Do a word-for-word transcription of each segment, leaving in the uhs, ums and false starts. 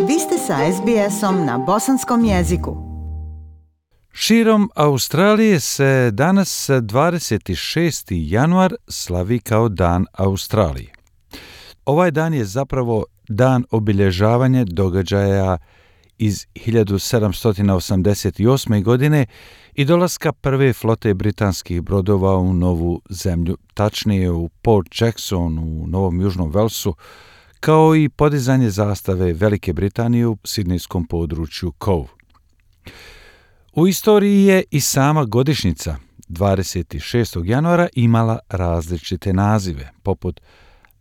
Vi ste sa es be esom na bosanskom jeziku. Širom Australije se danas dvadeset šesti januar slavi kao Dan Australije. Ovaj dan je zapravo dan obilježavanja događaja iz hiljadu sedamsto osamdeset osme. godine i dolaska prve flote britanskih brodova u Novu zemlju, tačnije u Port Jackson u Novom Južnom Velsu, kao i podizanje zastave Velike Britanije u sidnejskom području Cove. U istoriji je i sama godišnjica dvadeset šestog januara imala različite nazive, poput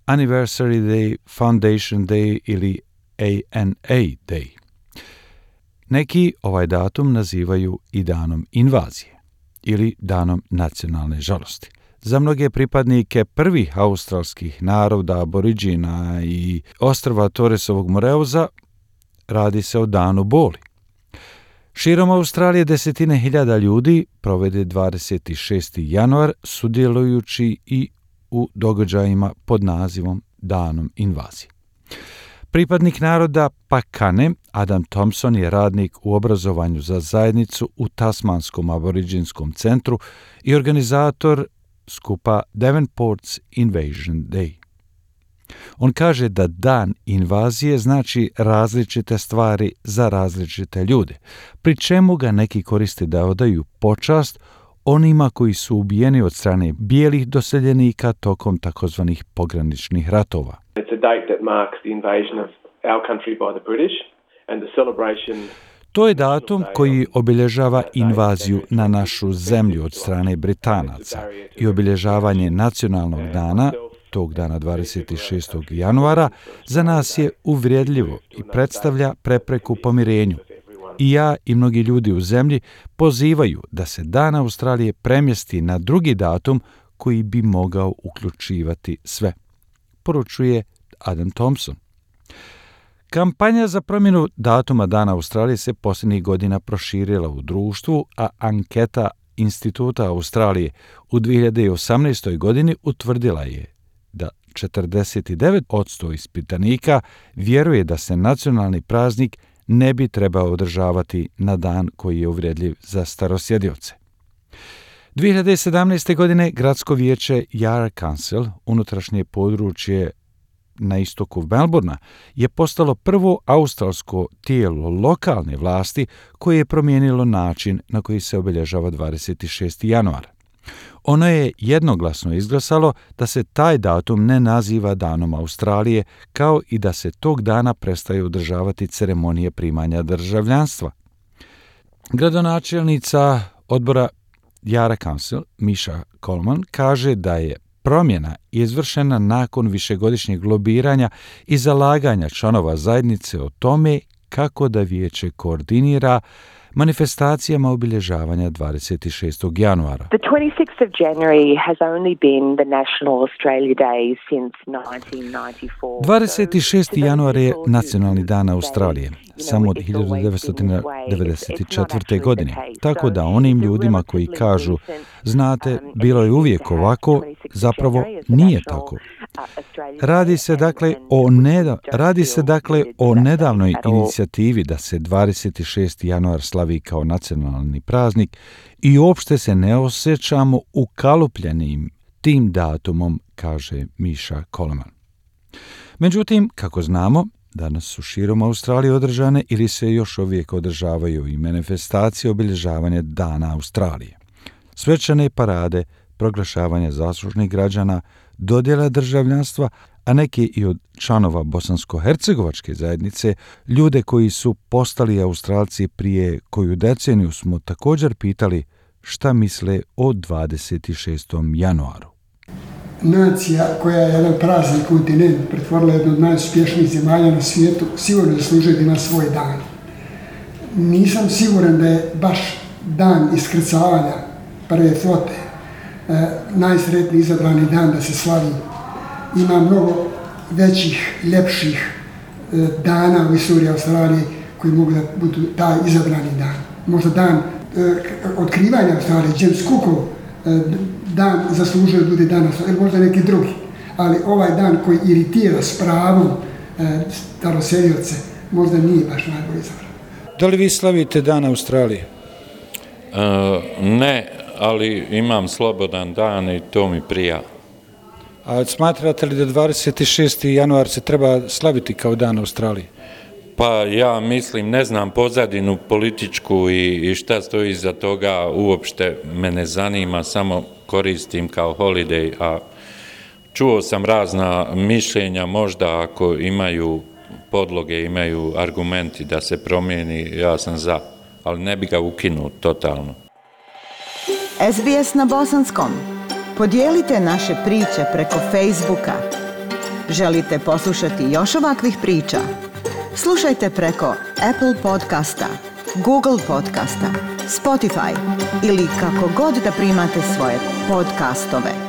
Anniversary Day, Foundation Day ili A N A Day. Neki ovaj datum nazivaju i danom invazije ili danom nacionalne žalosti. Za mnoge pripadnike prvih australskih naroda, aboriđina i ostrva Torresovog Moreuza radi se o danu boli. Širom Australije desetine hiljada ljudi provede dvadeset šesti januar sudjelujući i u događajima pod nazivom Danom invazije. Pripadnik naroda Pakane, Adam Thompson je radnik u obrazovanju za zajednicu u Tasmanskom aboriđinskom centru i organizator skupa Devonport's Invasion Day. On kaže da dan invazije znači različite stvari za različite ljude, pri čemu ga neki koriste da odaju počast onima koji su ubijeni od strane bijelih doseljenika tokom takozvanih pograničnih ratova. It's a date that marks the invasion of our country by the British and the celebration. To je datum koji obilježava invaziju na našu zemlju od strane Britanaca i obilježavanje nacionalnog dana, tog dana dvadeset šestog januara, za nas je uvredljivo i predstavlja prepreku pomirenju. I ja i mnogi ljudi u zemlji pozivaju da se Dan Australije premjesti na drugi datum koji bi mogao uključivati sve, poručuje Adam Thompson. Kampanja za promjenu datuma Dana Australije se posljednjih godina proširila u društvu, a anketa Instituta Australije u dvije hiljade osamnaestoj. godini utvrdila je da četrdeset devet posto ispitanika vjeruje da se nacionalni praznik ne bi trebao održavati na dan koji je uvredljiv za starosjedioce. dvije hiljade sedamnaeste. godine gradsko vijeće Yarra Council, unutrašnje područje na istoku Melbourna, je postalo prvo australsko tijelo lokalne vlasti koje je promijenilo način na koji se obilježava dvadeset šesti januar. Ono je jednoglasno izglasalo da se taj datum ne naziva Danom Australije, kao i da se tog dana prestaju održavati ceremonije primanja državljanstva. Gradonačelnica odbora Yarra Council, Misha Coleman, kaže da je promjena izvršena nakon višegodišnjeg lobiranja i zalaganja članova zajednice o tome kako da vijeće koordinira manifestacijama obilježavanja dvadeset šestog januara. The twenty-sixth of January has only been the National Australia Day since nineteen ninety-four. dvadeset šesti januar je nacionalni dan Australije, samo od hiljadu devetsto devedeset četvrte. godine. Tako da onim ljudima koji kažu, znate, bilo je uvijek ovako, zapravo nije tako. Radi se dakle o, neda, radi se dakle o nedavnoj inicijativi da se dvadeset šesti januar slavi kao nacionalni praznik i uopšte se ne osjećamo ukalupljenim tim datumom, kaže Misha Coleman. Međutim, kako znamo, danas su širom Australije održane ili se još uvijek održavaju i manifestacije obilježavanja Dana Australije. Svečane parade, proglašavanje zaslužnih građana, dodjela državljanstva, a neki i od članova bosansko-hercegovačke zajednice, ljude koji su postali Australci prije koju deceniju, smo također pitali šta misle o dvadeset šestom januaru. Nacija koja je jedan prazni kontinent pretvorila jednu od najuspješnijih zemalja na svijetu, sigurno zaslužuje da ima svoj dan. Nisam siguran da je baš dan iskrcavanja prve flote e, najsretniji izabrani dan da se slavi. Ima mnogo većih, ljepših e, dana u istoriji Australije koji mogu da budu taj izabrani dan. Možda dan e, otkrivanja Australije, James Cookov e, dan zaslužuje da bude danas, ili možda neki drugi. Ali ovaj dan koji iritira s pravom e, staroselioce, možda nije baš najbolji izabran. Da li vi slavite Dan Australije? E, ne, ali imam slobodan dan i to mi prija. A smatrate li da dvadeset šesti januar se treba slaviti kao Dan Australije? Pa ja mislim, ne znam pozadinu političku i, i šta stoji iza toga, uopšte me ne zanima, samo koristim kao holiday, a čuo sam razna mišljenja, možda ako imaju podloge, imaju argumenti da se promijeni, ja sam za, ali ne bi ga ukinuo totalno. S B S na bosanskom. Podijelite naše priče preko Facebooka. Želite poslušati još ovakvih priča? Slušajte preko Apple podcasta, Google podcasta, Spotify ili kako god da primate svoje podcastove.